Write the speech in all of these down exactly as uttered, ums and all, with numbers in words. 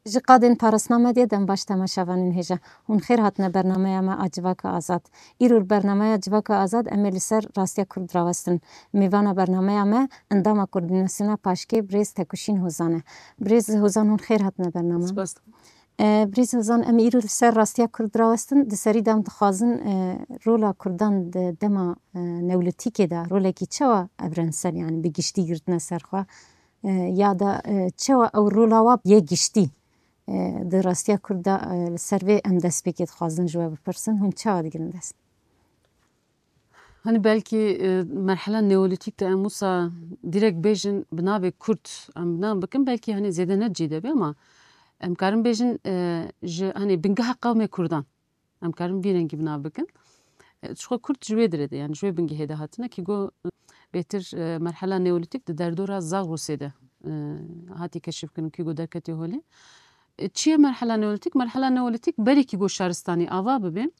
Ji qadên Parasna Medyayê dem baş temaşevanên hêja. Hûn xêr hatine bernameya me a Civaka Azad. Îro li bernameya Civaka Azad em ê li ser rastiya Kurd rawestin. Mêvana bernameya me endama Koordînasyona Paşkê birêz Tekuşîn Hozan e. Birêz Hozan, hûn xêr hatine bername. Spas. E, birêz Hozan, em îro li ser rastiya Kurd rawestin. Di serî de em dixwazin, e, rola Kurdan di dema, e, Neolîtîkê de rolekî çawa evrensel, yani bi giştî girtine ser xwe, e, ya da, e, çawa ew rola wa yê giştî, e, di rastiya Kurd de, e, li ser vê em destpêkê dixwazin ji we bipirsin, hûn çawa digirin dest? Hani belkî, e, merhela neolîtîk de em wisa direkt bêjin bi navê Kurd em bi nav bikin, belkî hani zêde ne cî de be ama em karin bêjin, e, ji hani bingeha qewmê Kurdan. Em karin vî rengî bi nav bikin. E, ji xwe Kurd ji wê dirê de, yani ji wê bingehê de hatine, kî go, e, bêtir, e, merhela neolîtîk di derdora Zagrosê de, e, hatî keşifkirin, kî go derketê holê. E, çi ye merhela neolîtîk? Merhela neolîtîk berî kî go şaristanî ava bibe,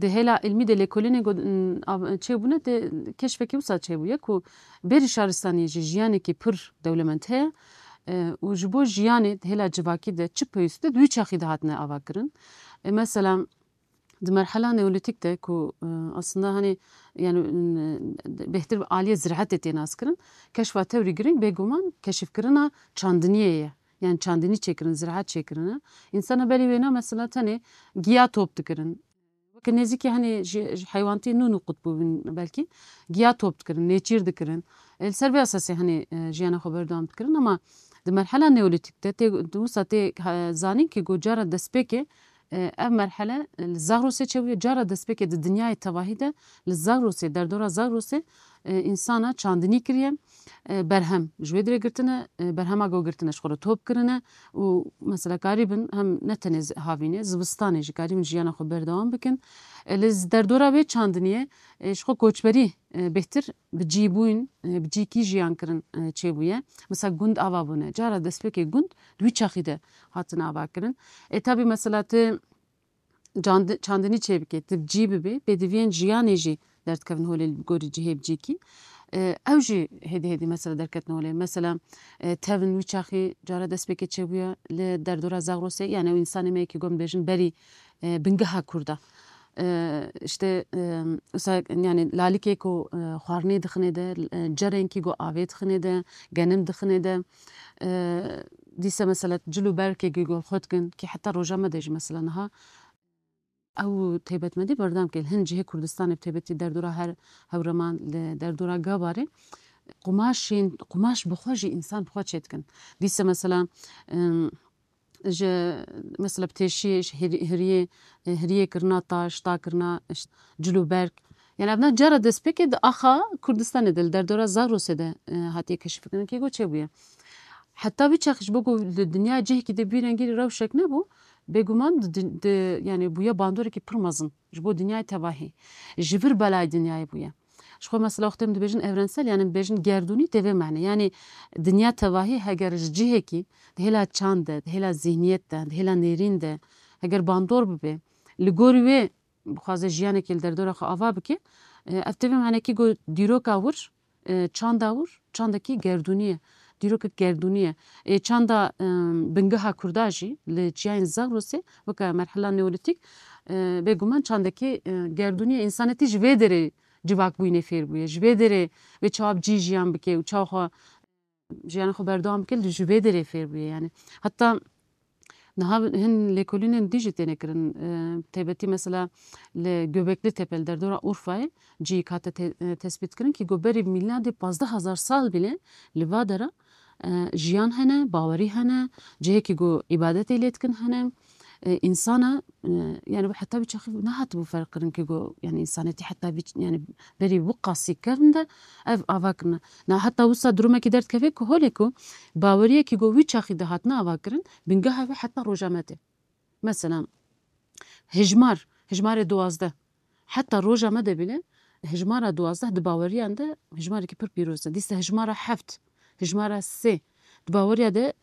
di hêla ilmî de lêkolînê go, n-, av-, çêbûne, di keşfekî wisa çêbûye ku berî şaristaniyê jî jiyanekî pir dewlemend heye, e, û ji bo jiyanê di hêla civakî de çi pêwîst e, di wî çaxî de hatine avakirin. E, mesela, di merhela neolîtîk de ku, e, aslında hani, yani, n-, bêhtir bi aliyê ziraetê tê naskirin, keşfa tewrî girîng bêguman keşifkirina çandiniyê ye. Yani çandinî çêkirin, ziraet çêkirine. Însana berî wêna mesela tenê giya top dikirin. Weke nêzîkî henê ji, ji heywantî nû nû qut bûbin belkî. Giya top dikirin, nêçîr dikirin. E, li ser vê esasê henê, e, jiyana xwe berdewam dikirin. Ama di merhela neolîtîk de tê, di wisa tê, e, zanîn kî go cara destpêkê, e, ev merhele, e, li Zagrosê çêbûye. Cara destpêkê di dinyayê tevahî de li Zagrosê, derdora Zagrosê, e, însana çandinî kiriye. E, berhem ji wê dirê girtine, e, berhema go girtine ji xwe re top kirine û mesela karîbin hem ne tenê zi-, havînê, zivistanê jî karîbin jiyana xwe berdewam bikin. E, li z-, derdora wê çandiniyê, e, ji xwe koçberî, e, bêhtir bi cî bûyîn, e, bi cîkî jiyan kirin, e, çêbûye. Mesela gund ava bûne. Cara destpêkê gund di wî çaxî de hatine ava kirin. E, tabî mesela tu candi-, çandinî çêbike, tu bi cî bibê, pêdiviyên jiyanê jî derdikevin holê li gorî cihê bi cîkî. E, ew jî hêdî hêdî mesela derketin holê. Mesela, e, tevin wî çaxî cara destpêkê çêbûye li derdora Zagrosê, yani ew însanê me yekî gom dibêjin berî, e, bingeha Kurda. E, işte, e, wisa, yani lalikê ku, e, xwarinê dixinê de, e, cerên kî ku avê dixinê de, genim dixinê de, e, dîse mesela cil û berkê kî ku xwe dikin, kî heta roja me de jî mesela niha ew taybetmendî berdewam kir. Hin cihê Kurdistanê bi taybetî derdora her Hewreman, li derdora Gabarê qumaşên, qumaş bi xwe jî însan bi xwe çêdikin. Dîse mesela, em, ji, mesela bi têşiyê, ji hirî-, hiriyê, e, hiriyê kirina taş, ta kirina, işte, cil û berg. Yani evna cara destpêkê di axa Kurdistanê de, li derdora Zagrosê de, e, hatiye keşifkirin kê go çêbûye. Heta vî çax ji bo ku li dinya cihekî de bî rengî rewşek nebû, bêguman di, di, di, yani bûye bandorekî pir mezin ji bo dinyayê tevahî. Ji vir belayê dinyayê bûye. Ji xwe mesela wextê em dibêjin evrensel, yani em dibêjin gerdûnî tê vê mane. Yani dinya tevahî heger ji cihekî, di hêla çand de, di hêla zihniyet de, di hêla nêrîn de, heger bandor bibe, li gorî wê bixwaze jiyanekê li derdora xwe ava bike, e, ev tê vê manekî ku dîroka wir, e, çanda wir, çandekî gerdûnî ye. Dîrokek gerdûnî ye. E, çanda, e, bingeha Kurda jî li çiyayên Zagrosê, weke merhela neolîtîk, e, bêguman çandekî, e, gerdûnî ye. Însanetî ji vê derê civakbûyînê fêr bûye. Ji vê derê wê çawa bi cî jiyan bike û çawa xwe jiyana xwe berdewam bike, ji vê derê fêr bûye yani. Heta niha hin lêkolînên dî jî têne kirin. E, taybetî mesela li Göbekli Tepe, li derdora Urfayê cî hate te-, e, tespît kirin kî go berî mîladê pazdeh hezar sal bile li va dera, e, jiyan hene, bawerî hene, cihekî go îbadetê lê dikin hene. E, însana, e, yani heta wî çaxî nehatibû ferq kirin kî go, yani însanetî heta vî ç-, yani berî wî qasî kevn de ev ava kirine. Na heta wisa durumekî derdikeve ku holê ku baweriyekî go wî çaxî de hatine ava kirin, bingeha wê heta roja me tê. Mesela hijmar, hijmarê duwazdeh. Heta roja me de bile hijmara duwazdeh di baweriyan de hijmarekî pir pîroz e. Dîsa hijmara heft, hijmara sê di baweriya de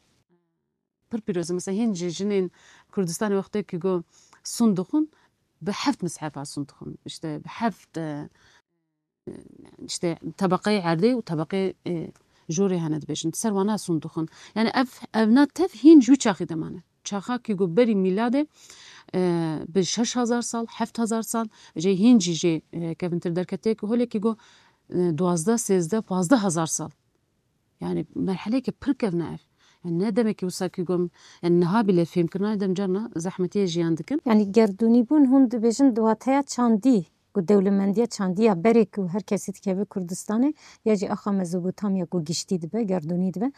pir pîroz e. Mesela hîn ji jinên Kurdistanê wextê kî go sûn dixwin, bi heft mishefa sûn dixwin. İşte bi heft, e, işte tebeqeyê erdê û tebeqeyê, e, Jorê hene dibêjin, ser wana sundixin. Yani ev, evna tev hîn ji wî çaxî de mane. Çaxa ku got berî mîladê, e, bi şeş hezar sal, heft hezar sal, jê hîn jî jê, e, kevintir derketiye ku holê ku got, e, duwazdeh, sêzdeh, pazdeh hezar sal. Yani merheleyeke pir kevn e ev. Yani ne demekî wisa ku got, yani niha bile fêmkirina dem carna zehmetiyê jiyan dikin. Yani gerdûnîbûn hûn dibêjin di wateya çandî, ku dewlemendiya çandî ya berê ku her kesî dikeve Kurdistanê, ya jî axa Mezopotamya ku giştî dibe, gerdûnî dibe.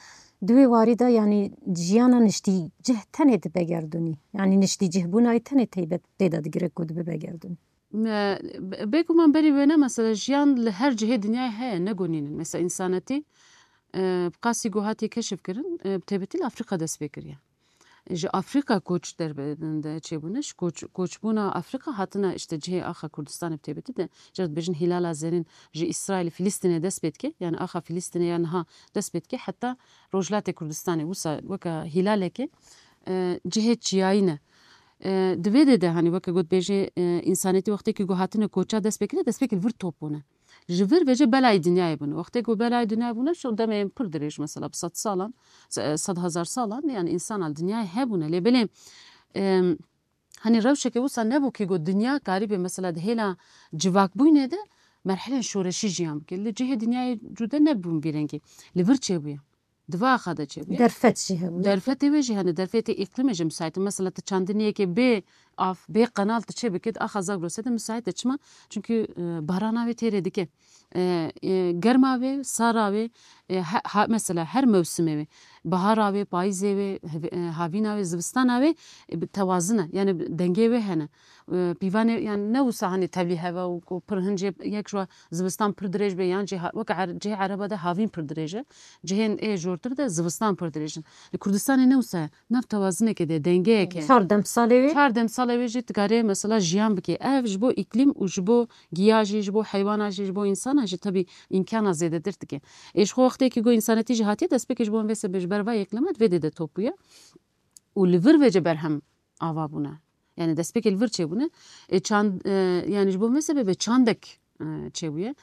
Di wê warî de yani jiyana niştîcih tenê dibe gerdûnî. Yani niştîcihbûna wî tenê teybet tê de digire ku dibe gerdûnî. Me, be-, bêguman berî wêne mesela jiyan li her cihê dinyayê heye, ne gonînin. Mesela însanetî, e, bi qasî ku hatiye keşif kirin, e, bi taybetî li Afrîka dest pê kiriye. Ji Afrîka koç derbe-, de çêbûne, ji koç, koçbûna Afrîka hatine işte cihê axa Kurdistanê bi taybetî de, jê dibêjin Hilala Zerîn, ji Îsraîl, Filistînê dest pê dike, yani axa Filistînê ya niha dest pê dike, heta Rojhilatê Kurdistanê wisa weke hilalekê, e, cihê çiyayî ne. E, di vê de de, hani weke got bêjê, e, însanetî wextê ku hatine koça dest pê kire, dest pê kir vir top bûne. Ji vir vêce belayê dinyayê bûne. Wextê ku belayê dinyayê bûne, şu demê pir dirêj mesela, bi sed salan, se-, sed hezar salan, yani însan al dinyayê hebûne. Lê belê, em, hani rewşeke wisa nebû ku got dinya karîbe mesela di hêla civakbûyînê de merhelên şoreşî jiyan bike. Li cihê dinyayê cude nebûn vî rengî. Li vir çêbûye. Di va axa de çêbûye. Derfet jî hebûye. Derfetê wê jî hene, derfetê îqlimê jî müsait e. Mesela tu çandiniyekê bê av, bê qenal tu çê bikî, di axa Zagrosê de müsait e. Çima? Çünkü, e, barana wê têrê dike. E, e, germa wê, sara wê, e, he-, ha-, mesela her mewsimê wê. Bahara wê, payîzê wê, hev-, e, havîna wê, zivistana wê, e, bi tewazin e. Yani bi dengê wê hene. E, pîvanê, yani ne wisa hani tevlî heve û ku pir hin cê yek ji zivistan pir dirêj be, yan jî ha-, weke er-, cihê ereba de havîn pir dirêj e. Cihên ê jortir de zivistan pir dirêj in. Li Kurdistanê ne wisa ye. Nav tewazinekê de, dengeyeke. Çar demsalê wê. Çar demsalê wê jî dikarê mesela jiyan bike. Ev ji bo îklîm û ji bo giya jî, ji bo heywana jî, ji bo însana jî tebî îmkana zêdetir dike. Ê ji xwe wextê ku got însanetî jî hatiye destpêkê ji bo vê sebê ji ber va îklîma di vê dê de top bûye. Û li vir vêce berhem ava bûne. Yani destpêkê li vir çêbûne. E, çand, e, yani ji bo vê sebebê çandek, e, çêbûye.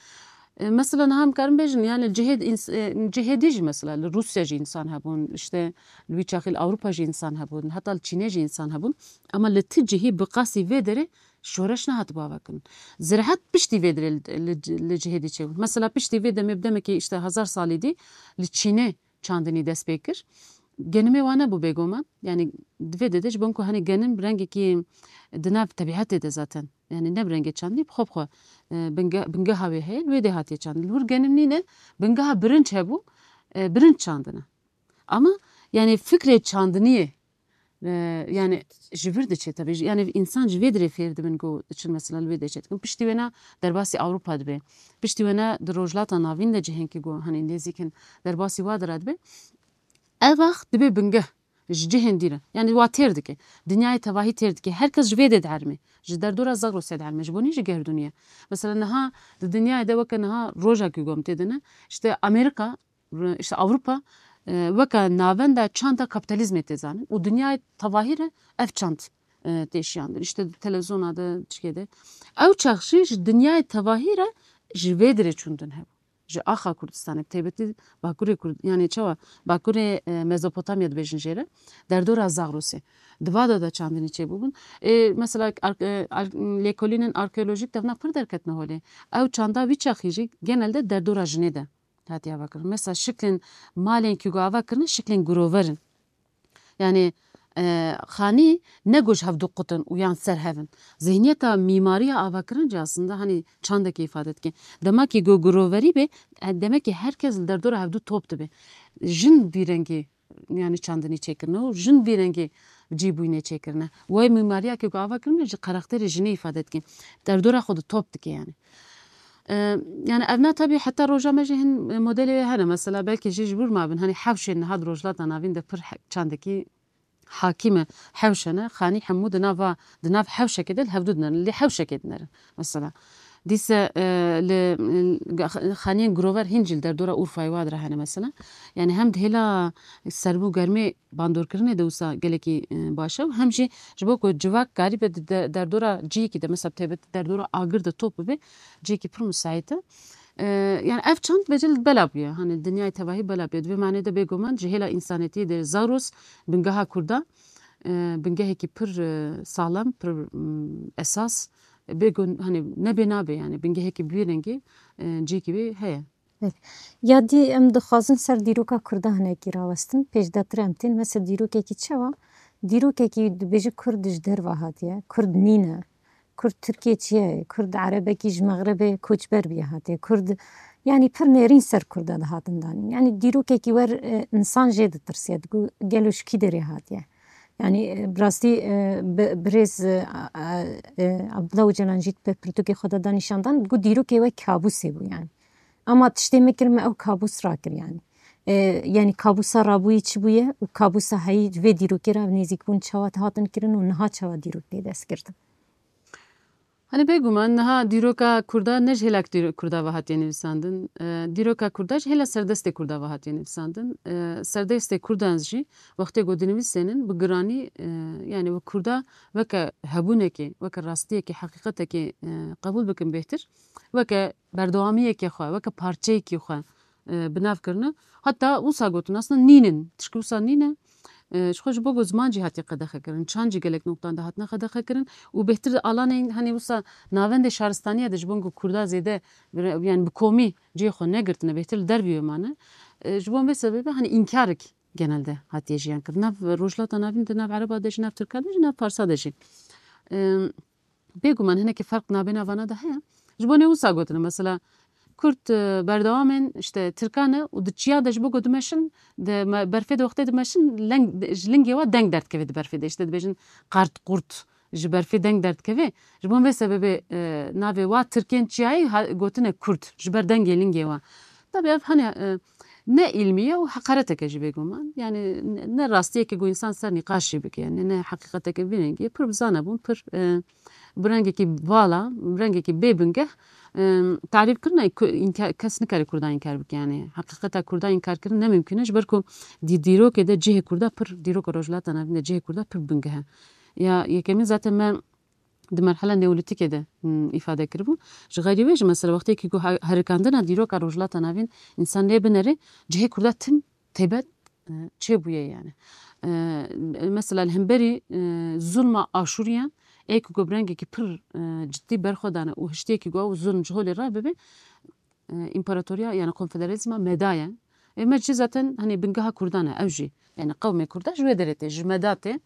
E, mesela niha em karin bêjin, yani cihê ins-, e, cihê dî jî mesela li Rûsya jî însan hebûn, işte li wî çaxî li Ewropa jî însan hebûn, heta li Çînê jî însan hebûn. Ama li ti cihî bi qasî vê derê şoreş nehatibû ava kirin. Ziraet piştî vê derê li, li, li cihê dî çêbû. Mesela piştî vê demê bi demekî işte hezar salî dî li Çînê çandinî dest pê kir. Genimê wan nebû bêguman. Yani di vê de de ji bo ku hani genim bi rengekî di nav tebîetê de zaten. Yani ne bi rengê çandinî, bi xwe bi xwe, e, binge-, bingeha wê heye, li wê dê hatiye çandin. Li wir genim nîne, bingeha birinc hebû, e, birinc çandine. Ama yani fikrê çandiniyê, e, yani ji vir diçe tabii. Yani însan ji vê dirê fêr dibin ku diçin mesela li wê dê çê dikin. Piştî wêna derbasî Ewropa dibe. Piştî wêna di Rojhilata Navîn de cihên ku hani nêzîk in derbasî wa dira dibe. Ev ax dibe bingeh ji cihên dî re. Yani wa têr dike. Dinyayê tevahî têr dike. Her kes ji vê dê dierime. Ji derdora Zagrosê dierime. Ji bo nî ji gerdûnî ye. Mesela niha di dinyayê de weke niha roja ku gom tê de ne, işte Amerîka, işte Ewropa, e, weke navenda çanda kapitalizmê tê zanin û dinyayê tevahî re ev çand, e, tê şiyandin. İşte televizyona de, çikê de. Ew çax jî ji dinyayê tevahî re ji vê dirê çûndin hebû. Ji axa Kurdistanê, bi taybetî Bakurê Kurd-, yani çawa, Bakurê, e, Mezopotamya dibêjin jê re, derdora Zagrosê. Di va de de çandinî çêbûbûn. E, mesela ar-, e, ar-, lêkolînên arkeolojîk devna pir derketine holê. Ew çanda wî çaxî jî genelde derdora jinê de hatiye avakirin. Mesela şiklên malên ku ava kirine şiklên girover in. Yani, e, xanî ne ku ji hevdu qut in û yan ser hev in. Zihniyeta mîmariya avakirin jî aslında hani çandekê îfade dike. Dema ku giroverî be, e, demek ki her kes li derdora hevdu top dibe. Jin vî rengî yani çandinî çêkirine û jin vî rengî cîbûyînê çêkirine. Wê mîmariya ku ava kirine ji karakterê jinê îfade dike. Derdora xwe di top dike yani. E, yani evna tabii heta roja me jî hin modelê wê hene. Mesela belkî jî ji wir mabin. Hani hewşên niha di Rojhilata Navîn de pir he-, çandekî hakîm e. Hewş hene. Xanî hemû di nava, di nav hewşekê de li hevdu dinerin. Lê hewşekê dinerin. Mesela. Dîse, e, li, e, xaniyên girover hîn jî li derdora Urfayê wa dire hene mesela. Yani hem di hêla serbû germê bandorkirinê de wisa gelekî, e, baş e û hem jî ji bo ku civak karîbe di de-, derdora cihekî de, mesela bi taybet derdora agir de top bibe, cihekî pir musait e. E, yani ev çand bêje bela bûye. Hani dinyayê tevahî bela bûye. Di vê manê de bêguman ji hêla însanetiyê de Zagros bingeha Kurda, e, bingehekî pir, e, saxlem, pir, m, esas. Bêgun, hani nebê nabe yani. Bingehekî bi vî rengî, e, cihekî wê heye. Pêk. Ya dî em dixwazin ser dîroka Kurda hinekî rawestin. Pêşdatir em tên. Mesela dîrokekî çawa? Dîrokekî dibêje Kurd ji derve hatiye. Kurd nîne. Kurd Tirkiye çi ye? Kurd erebekî ji Mexrebê koçber bûye hatiye. Kurd, yanî pir nêrîn ser Kurda dihatin danîn. Yanî dîrokekî wer, e, însan jê ditirsiye. Digo gelo ji kî derê hatiye? Yanî, e, bi rastî, e, bi-, birêz, e, a-, a-, e, Abdullah Ocalan jî di pirtûkê xwe de da nîşan dan, digo dîrokê we kabûsê bû yanî. Ama tiştê me kir, me ew kabûs rakir yanî. E, yanî kabûsa rabûyî çi bûye û kabûsa heyî vê dîrokê re nêzîkbûn çawa hatin kirin û niha çawa dîrok tê destgirtin? Hani bêguman niha dîroka Kurda ne ji hêlak dîro-, Kurda ve hatiye nivîsandin. E, dîroka Kurda ji hêla serdestê Kurda ve hatiye nivîsandin. E, serdestê Kurdan jî wextê ku dinivîsênin bi giranî, e, yani wek Kurda weke hebûnekê, weke rastiyekê, heqîqetekê, e, qebûl bikin bêhtir, weke berdewamiyekê xwe, weke parçeyekî xwe, e, bi nav kirine. Heta wisa gotin, aslında nînin, tişkî wisa nîne. E, ji xwe ji bo ku ziman jî hatiye qedexe kirin, çand jî gelek noqtan de hatine qedexe kirin û bêhtir alanên, hani wisa navendê şaristaniya de ji bo ku Kurda zêde, yani bi komî cihê xwe negirtine, bêhtir li dervî wê mane. E, ji bo vê sebebê, hani înkarek genelde hatiye jiyan kirin. Nav Rojhilata Navîn de, nav Ereba de jî, nav Tirka de jî, nav Farsa de jî. E, Bêguman hinekî ferq nabêna vana de heye. Ji bo nê wisa gotine, mesela Kurd, e, berdewamên işte Tirkan e û di çiya de ji bo ku dimeşin, di me-, berfê de wextê dimeşin, leng, ji lingê wa deng derdikeve di berfê de. İşte dibêjin qart qurt, ji berfê deng derdikeve. Ji bo vê sebebê, e, navê wa Tirkên çiyayê ha-, gotine Kurd, ji ber dengê lingê wa. Tabii ev hani, e, ne îlmî ye û heqareteke jî bêguman. Yani ne, ne rastiyeke ku însan ser nîqaş jî bike. Yani ne heqîqeteke vî rengî ye. Pir bi zane bûn, pir, e, bi rengekî vala, bi rengekî bê bingeh, e, tarîf kirine ku înka-, kes nikare Kurda înkar bike. Yani heqîqeta Kurda înkar kirin ne mimkun e. Ji ber ku dî-, dîrokê de cihê Kurda pir, dîroka Rojhilata Navîn de cihê Kurda pir bingeh e. Ya yekemîn zaten me di merhela neolîtîkê de, hmm, îfade kiribû. Ji xeyrî wê jî mesela wextê ku he-, herikandina dîroka Rojhilata Navîn însan lê binere, cihê Kurda tim taybet, e, çêbûye yani. E, mesela li hemberî, e, zulma Aşûriyan, ê ku bi rengekî pir, e, cidî berxwe dane û hiştiyekî ku ew zulm ji holê re bibe, e, împaratoriya yani konfederalizma Meda ye. Ê me jî zaten hani bingeha Kurdan e, ew jî yani qewmê Kurda ji wê derê tê, ji Meda tê.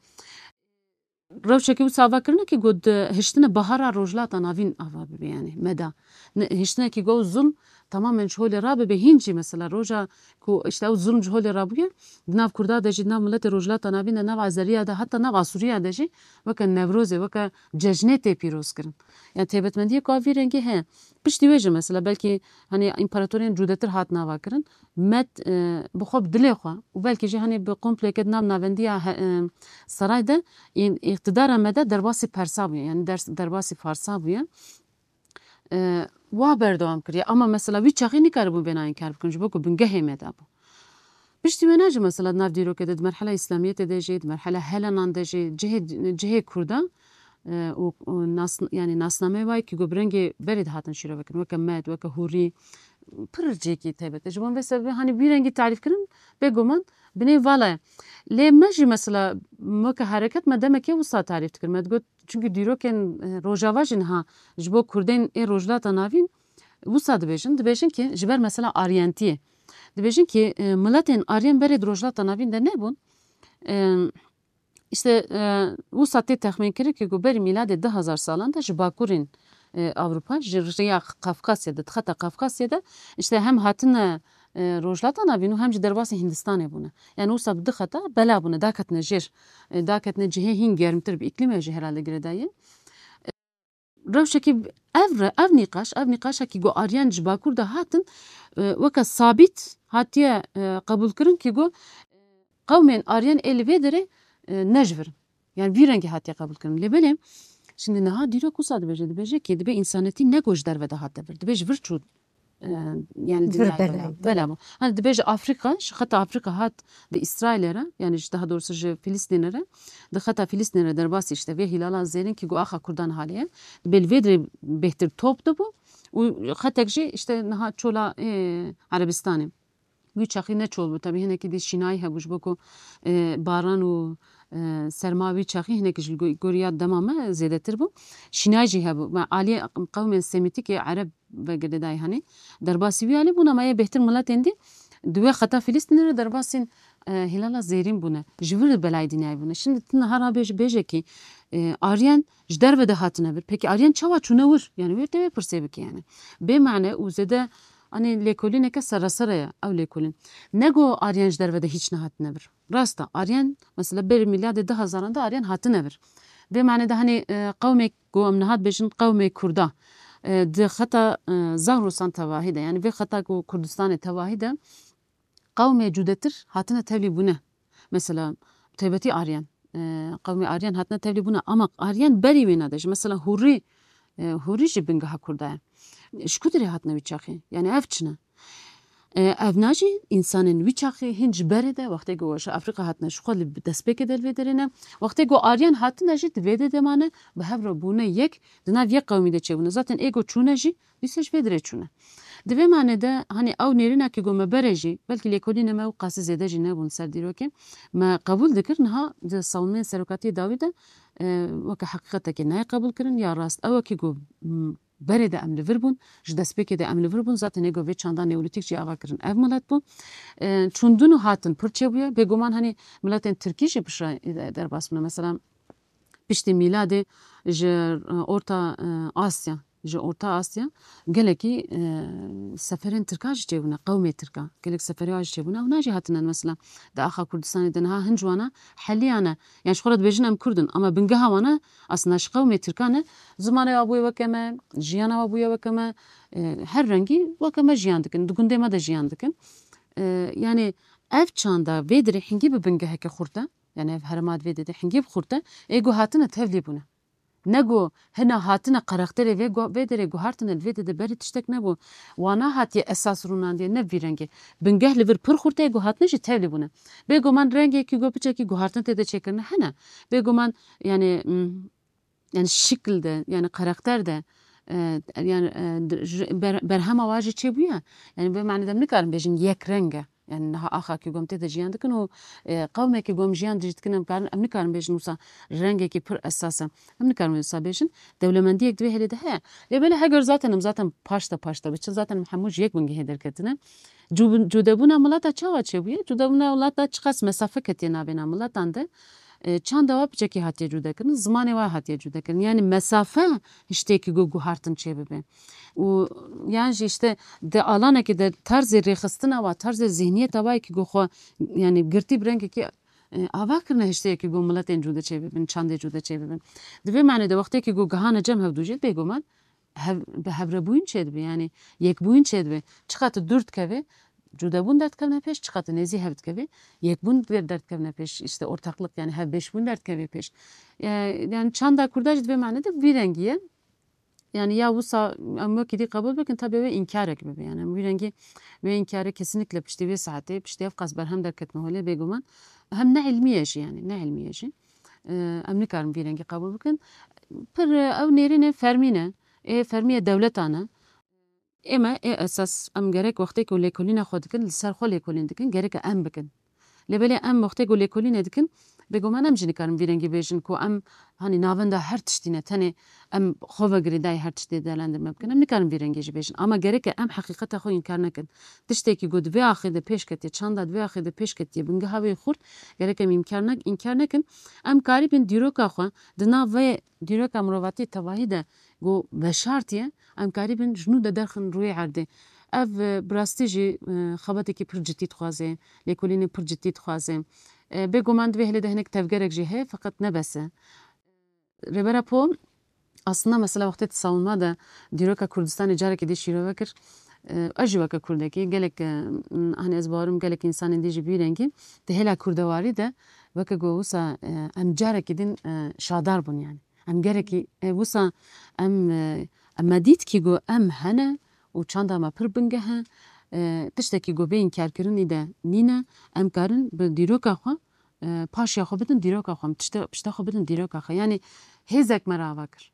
Rewşekî wisa ava kirine ki got, hiştine bahara Rojhilata Navîn ava bibe, yani Meda. Ne, hiştine ki got zulm tamamen ji holê rabibe, hîn jî mesela roja ku işte ew zulm ji holê rabûye, di nav Kurda de jî, di nav miletê Rojhilata Navîn de, nav Azeriya de, heta nav Asûriya de jî weke Newrozê, weke cejnê tê pîroz kirin. Yani taybetmendiyê ku a vî rengî heye. Piştî wê jî mesela belkî hani împaratoriyên cudetir hat nava kirin. Med, e, bi xwe, bi dilê xwe û belkî jî hani bi kompleke di nav navendiya he-, e, saray de, î-, îqtidara Meda derbasî Persa bûye, yani ders, derbasî Farsa bûye. E, wa berdewam kiriye. Ama mesela wî çaxê nikaribûn vêna înkar bikin, ji bo ku bingehê Meda bû. Piştî wêna jî mesela di nav dîrokê de, di merhela Îslamiyetê de jî, di merhela Helenan de jî cihê, cihê Kurda, e, û, û nas-, yani nasnameyê wayê ki ku bi rengê berê dihatin şîrove kirin, weke Med, weke Hûrî, pir cihekî taybet e. Ji bo vê sebebê hani vî rengî tarîf kirin, bêguman binê vala ye. Lê me jî mesela weke hereket me demekê wisa tarîf dikir. Me digot, çünkü dîrokên, e, Rojava jî niha ji bo Kurdên ê Rojhilata Navîn wisa dibêjin. Dibêjin ki ji ber mesela Aryentiyê. Dibêjin ki, e, miletên Aryen berê di Rojhilata Navîn de nebûn. E, işte, e, wisa tê texmîn kirin ki ku berî mîladê du hezar salan de ji bakurên, e, Ewropa, ji riya Kafkasya de, di xeta Kafkasya de, işte hem hatine, e, Rojhilata Navîn û hem jî derbasî Hindistanê bûne. Yani wisa bi du xeta bela bûne, daketine jêr, e, daketine cihê hîn germtir, bi îklîmê jî herhalde girêdayî. Rewşekî ev re, ev nîqaş, ev nîqaşekî ku Aryan ji Bakur de hatin, e, weke sabît hatiye, e, qebûlkirin ki ku qewmên Aryan ê li vê derê, e, ne ji vir in. Yani vî rengî hatiye qebûlkirin. Lê belê, şimdi niha dîrok wisa dibêje, dibêje ki dibê însanetî ne ku ji derve de hate vir, dibê ji vir çû, e, yani Vir dinyayê bela. Bela bû. Hani dibêje Afrîka, ji xeta Afrîka hat di Îsraîlê re, yani ji, daha doğrusu ji Filistînê re, di xeta Filistînê re derbasî işte vê hîlala zêrîn ki ku axa Kurdan halê ye. Dibê li vê dirê bêhtir top dibû. Û xetek jî işte niha çola, e, Erebistanê. Wî çaxî ne çol bû. Tabii hinekî dî şînayî hebû ji bo ku, e, baran û, e, serma wî çaxî hinekî ji go-, goriya dema me zêdetir bû. Şînayî jî hebû. Me aliyê qewmên Semîtîkê Ereb ve girêdayî hanê. Derbasî wî alî bûn ama yê bêhtir miletên dî di wê xeta Filistînê re derbasên, e, Hilala Zêrîn bûne. Ji vir belayê dinyayê bûne. Şimdi tu niha rabêj-, bêje kî, e, Aryen ji derve de hatine vir. Pekî Aryen çawa çûne wir? Yani wê te wê pirsê bike yani. Bê mane û zêde, hani lêkolîneke seresere ye ew lêkolîn. Ne go Aryen ji derve de hiç nehatine vir. Rast e, Aryen, mesela berî mîladê du hezaran de Aryen hatine vir. Vê mane de hani, e, qewmê ku em niha dibêjin qewmê Kurda, e, di xeta, e, Zagros-an tevahî de, yani vê xeta ku Kurdistanê tevahî de qewmê cudetir hatine tevlî bûne. Mesela taybetî Aryen, e, qewmê Aryen hatine tevlî bûne. Ama Aryen berî wêna de jî, mesela Hûrî, e, Hûrî jî bingeha Kurda ye. Ji ku dirê hatine wî çaxê? Yani ev çi ne? E, ev na jî însanên wî çaxê hîn ji berê de, wextê ku ji Afrîka hatine, ji xwe li destpêkê de li vê derê ne. Wextê ku Aryan hatine jî di vê de de mane, bi hev re bûne yek, di nav yek qewmî de çêbûne. Zaten ê ku çûne jî, dîsa ji vê derê çûne. Di vê mane de, hani ew nêrîna ku me bere jî, belkî lêkolînê me ew qasî zêde jî nebûn ser dîrokê, me qebûl dikir, niha di sawunmeyên serokatiyê dawî de, e, weke heqîqetekê nayê qebûl kirin, ya rast ew e ku, m, berê de em li vir bûn, ji destpêkê de em li vir bûn, zaten ê ku vê çanda neolîtîk jî ava kirin ev milet bû. E, çûndin û hatin pir çêbûye, bêguman hani miletên tirkî jî piştre derbas bûne. Mesela piştî mîladê ji, e, Orta, e, Asya, ji Orta Asya gelekî, e, seferên tirka jî çêbûne, qewmê tirka, gelek seferê wa jî çêbûne, hûna jî hatine mesela di axa Kurdistanê de niha hin ji wana heliyane. Yani ji xwe re dibêjin em Kurd in, ama bingeha wana aslında ji qewmê tirka ne, zimanê wa bûye weke me, jiyana wa bûye weke me, e, her rengî weke me jiyan dikin, di gundê me de jiyan dikin. E, yani ev çanda vê dirê hingî bi bingeheke xurt e, yani ev herêma di vê dirê hingî bi xurt e, ê ku hatine tevlî bûne. Ne ku hina hatine karakterê vê gu-, vê derê guhartine, li vê de de berî tiştek nebû. Wana hatiye esas rûnandiye, ne vî rengê. Bingeh li vir pir xurt e, guhatine jî tevlî bûne. Bêguman rengekî ku piçekî guhartin tê de çêkirine hene. Bêguman yani, mm, yani şikil de, yani karakter de, e, yani, e, d-, j-, ber-, berhema wa jî çêbûye. Yani vê manê de em nikarin bêjin yek reng e. Yani niha axa ku gom tê de jiyan dikin û, e, qewmekî gom jiyan jî dikin, em karin, em nikarin bêjin wisa rengekî pir esas e. Em nikarin wisa bêjin. Dewlemendiyek di vê hêlê de heye. Lê belê heger zaten em zaten paşta paşta biçin, zaten em hemû ji yek bingehê derketine. Cu-, cudebûna mileta çawa çêbûye? Cudebûna mileta çiqas mesafe ketiye navêna miletan de. E, çanda wa piçekî hatiye cudekirin, zimanê wa hatiye cudekirin. Yani mesafe hiştê ku guhartin çêbibe. Û yan jî işte di alanekê de tarzê rêxistina wa, tarzê zihniyeta wa ku xwe, yani girtî bi rengekî, e, ava kirine hiştê ku miletên cude çêbibin, çandê cude çêbibin. Di vê manê de wextê ku gihane cem hevdû jî bêguman hev-, bi hevrebûyîn çêdibe, yani yekbûyîn çêdibe. Çiqas tu dûr dikeve, cudebûn derdikevne pêş, çiqas tu nêzî hev dikeve, yekbûn der-, derdikevne pêş, işte ortaklık, yani hevbeşbûn derdikeve pêş. E, yani çanda Kurda jî di vê manê de vî rengî ye. Yani ya wisa em wekî dî qebûl bikin, tabii wê înkarek bibe. Yani em vî rengî, wê înkarê kesinlikle piştî vê saetê, piştî ev qas berhem derketine holê bêguman. Hem ne ilmiye jî yani, ne ilmiye jî. E, em nikarin vî rengî qebûl bikin. Pir, e, ew nêrînê fermî ne. Ê fermiyê dewletan e. Ê me, ê esas em gerek wextê ku lêkolîna xwe dikin, li ser xwe lêkolîn dikin, gerek em bikin. Lê belê em wextê ku lêkolînê dikin, bêguman em jî nikarin vî rengî bêjin ku em, hanî navenda her tiştî ne, tenê em xwe ve girêdayî her tiştê değerlendirme bikin. Em nikarin vî rengî jî bêjin. Ama gerek e em heqîqeta xwe înkar nekin. Tiştekî ku di vê axê de pêş ketiye, çanda di vê axê de pêş ketiye, bingeha wê xurt, gerek em înkar ne-, înkar nekin. Em karîbin dîroka xwe di nav vê dîroka mirovatiyê tevahî de ku veşartiye, em karîbin ji nû de derxin rûyê erdê. Ev, e, bi rastî jî, e, xebatekî pir cidî dixwaze, lêkolînê pir cidî dixwaze. E, bêguman di vê hêlê de hinek tevgerek jî heye, feqet ne bes e. Rêber Apo, aslında mesela wextê di savunma de dîroka Kurdistanê carekê dî şîrove kir. E, ez jî weke Kurdekî, gelek, e, hani ez bawerim gelek însanên dî jî bi vî rengî, di hêla kurdewarî de weke ku wisa, e, em carekî din, e, şadar bûn yani. Em gerekî, e, wisa em, e, em me dît kî ku em hene û çanda me pir bingeh e, e, tiştekî ku bê înkarkirinî de nîne, em karin bi dîroka xwe, e, paşiya xwe bidin dîroka xwe, em tişte, pişta xwe bidin dîroka xwe. Yani hêzek me re ava kir.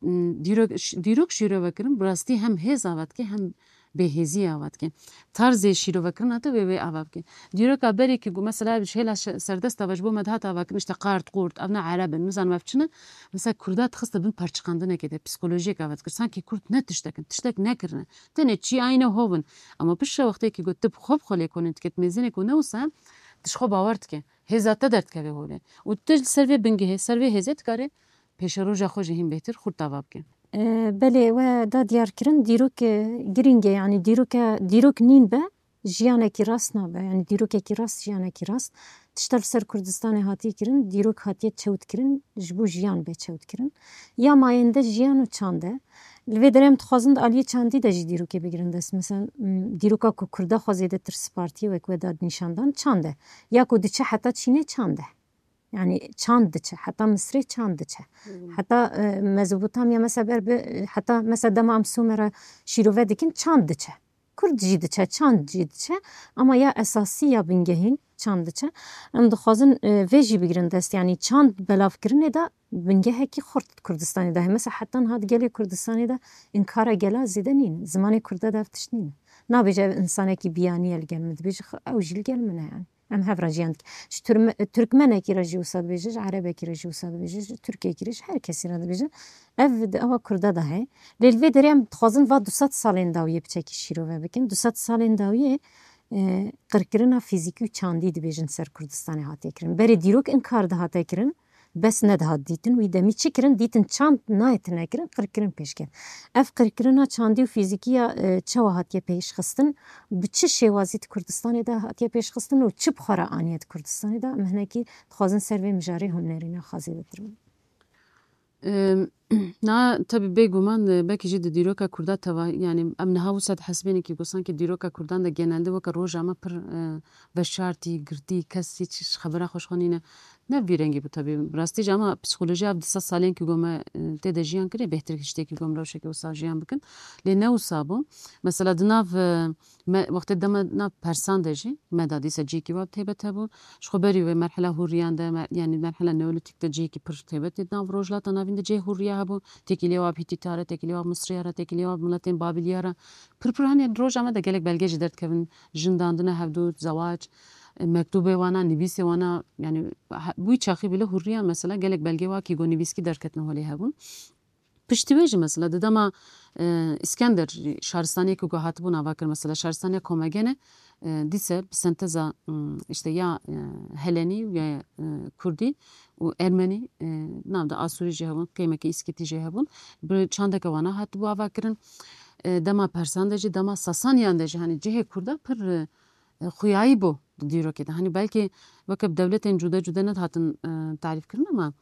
m, dîrok, ş-, dîrok şîrove kirin, bi rastî hem hêz ava dike, hem bêhêziyê ava dike. Tarzê şîrovekirina te wê wê ava bike. Dîroka berê ku mesela ji hêla şe-, serdesta ve ji bo me dihat ava kirin, işte qard, qurt, ev ne Ereb in, nizanim ev çi ne. Mesela Kurda dixiste bin perçiqandinekê de, psikolojiyek ava dikir. Sankî Kurd ne tiştek in, tiştek nekirine. Tenê çi ayne hov in. Ama piştre wextê ku tu bi xwe bi xwe lêkolîn dike, tu mêzênê ku ne wisa, tu ji xwe bawer dike. Hêza te derdikeve holê. Û tu li ser vê bingehê, ser vê hêzê dikarî pêşeroja xwe jî hîn bêhtir xurt ava bike. E, belê, we da diyar kirin, dîrok, e, girîng e, yanî dîroke, dîrok nîn be, jiyanekî rast nabe, yanî dîrokekî rast, jiyanekî rast. Tişta li ser Kurdistanê hatiye kirin, dîrok hatiye çewt kirin, ji bo jiyan bê çewt kirin. Ya mayende jiyan û çand e. Li vê derê em dixwazin di aliyê çandî de jî dîrokê bigirin dest. Mesela, m, dîroka ku Kurda xwe zêdetir spartiye wek we da nîşandan çand e. Ya ku diçe heta Çînê çand e. Yani çand diçe, heta Misrê çand diçe. Heta, e, Mezopotamya mesela ber bi, heta mesela dema em Sumera şîrove dikin çand diçe. Kurd jî diçe, çand jî diçe. Ama ya esasî ya bingehîn çand diçe. Em dixwazin, e, vê jî bigirin dest. Yani çand belavkirinê de bingehekî xurt Kurdistanê de heye. Mesela heta niha di gelê Kurdistanê de inkara gela zêde nîn. Zimanê Kurda de ev tişt nîn. Nabêje ev insanekî biyanî ye li gel min. Dibêje xwe ew jî li gel min e yani. Em hev re jiyan dikin. Ji Turme-, Turkmenekî re jî wisa dibêje, ji Erebekî re jî wisa dibêje, ji Tirkekî re, ji her kesî re dibêje. Ev di awa Kurda de heye. Lê li vê derê em dixwazin va du sed salên dawiyê piçekî şîrove bikin. Du sed salên dawiyê, e, qirkirina fîzîkî û çandî dibêjin ser Kurdistanê hatiye kirin. Berê dîrok inkar dihate kirin, bes nedihat dîtin. Wî demî çi kirin? Dîtin çand nayê tune kirin, qirkirin pêş ket. Ev qirkirina çandî û fîzîkî ya, e, çawa hatiye pêşxistin? Bi çi şêwazî di Kurdistanê de hatiye pêşxistin û çi bi xwe re aniye di Kurdistanê de? Em hinekî dixwazin ser vê mijarê hûn nerîna xwe zêdetir bibin. Em, na, tabi bêguman, e, belkî jî di dîroka Kurda teva, yani em niha wisa dihesibêne kî gosan ki dîroka Kurdan de genelde weke roja me pir, e, veşartî, girtî, kes hiç ji xebera xwe ji xwe nîne. Ne vî rengî bû tabi. Bi rastî jî ama psîkolojiya ev du sed salên ki go me, e, tê de jiyan kirê, bêhtir ji tê ki go em rewşeke wisa jiyan bikin. Lê ne wisa bû. Mesela di nav, e, me, wextê dema nav Persan de jî, me da dîsa cihekî wa taybet hebû. Ji xwe berî wê merhela hûriyan de, me-, yanî merhela neolîtîk de cihekî pir taybet tê nav Rojhilata Navîn de cihê hûriya hebû. Têkilî wa bi Hîtîta re, têkilî wa bi Misriya re, têkilî wa bi miletên Babîliya re. Pir pir, hani roja me de gelek belge jî derdikevin, jindandina hevdû, zewac, e, mektûbê wana, nivîsê wana, yani he-, wî çaxî bile hûriya mesela gelek belgê wa kî go nivîskî derketin holê hebûn. Piştî wê jî mesela di dema, e, Îskender jî şaristaniyê ku hatibû nava kir, mesela şaristaniya Komagene, e, dîse bi senteza, m, işte ya, e, Helenî ya, e, Kurdî û Ermenî, e, nav de Asûrî jî hebûn, qêmeke Îskîtî jî hebûn. Bi çandeke wana hatibû ava kirin. E, dema Persan de jî, dema Sasaniyan de jî, hani cihê Kurda pir, e, xuyayî bû di dîrokê de. Hani belkî weke bi dewletên cude cude nedihatin, e, tarîf kirin ama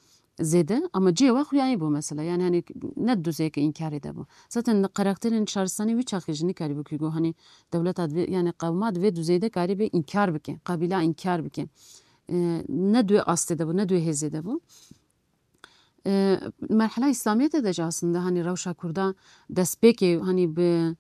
zêde, ama cihê wa xuyayî bû mesela. Yani hani ne duzeyeke înkarê de bû. Zaten karakterên şaristanî wî çaxê jî nikarîbû kî go hani dewleta divê, yani qewma divê duzeyde karîbê înkar bike, qabîla înkar bike. E, ne duê astê de bû, ne duê hêzê de bû. E, merhela Îslamiyetê de jî aslında hani rewşa Kurda destpêkê hani bi